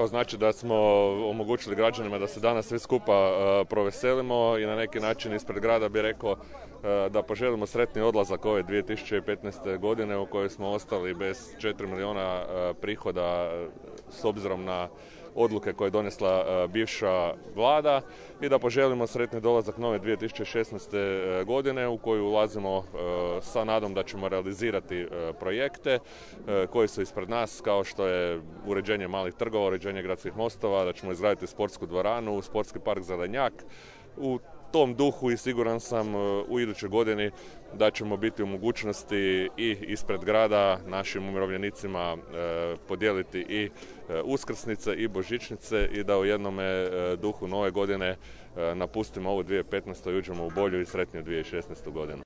Evo, znači da smo omogućili građanima da se danas svi skupa proveselimo i na neki način ispred grada bi rekao da poželimo sretni odlazak ove 2015. godine u kojoj smo ostali bez 4 milijuna prihoda s obzirom na odluke koje je donesla bivša vlada i da poželimo sretni dolazak nove 2016. godine u koju ulazimo sa nadom da ćemo realizirati projekte koji su ispred nas, kao što je uređenje malih trgova, uređenje gradskih mostova, da ćemo izgraditi sportsku dvoranu, sportski park Zelenjak. U tom duhu i siguran sam u idućoj godini da ćemo biti u mogućnosti i ispred grada našim umirovljenicima podijeliti i uskrsnice i božićnice i da u jednome duhu nove godine napustimo ovu 2015. i uđemo u bolju i sretniju 2016. godinu.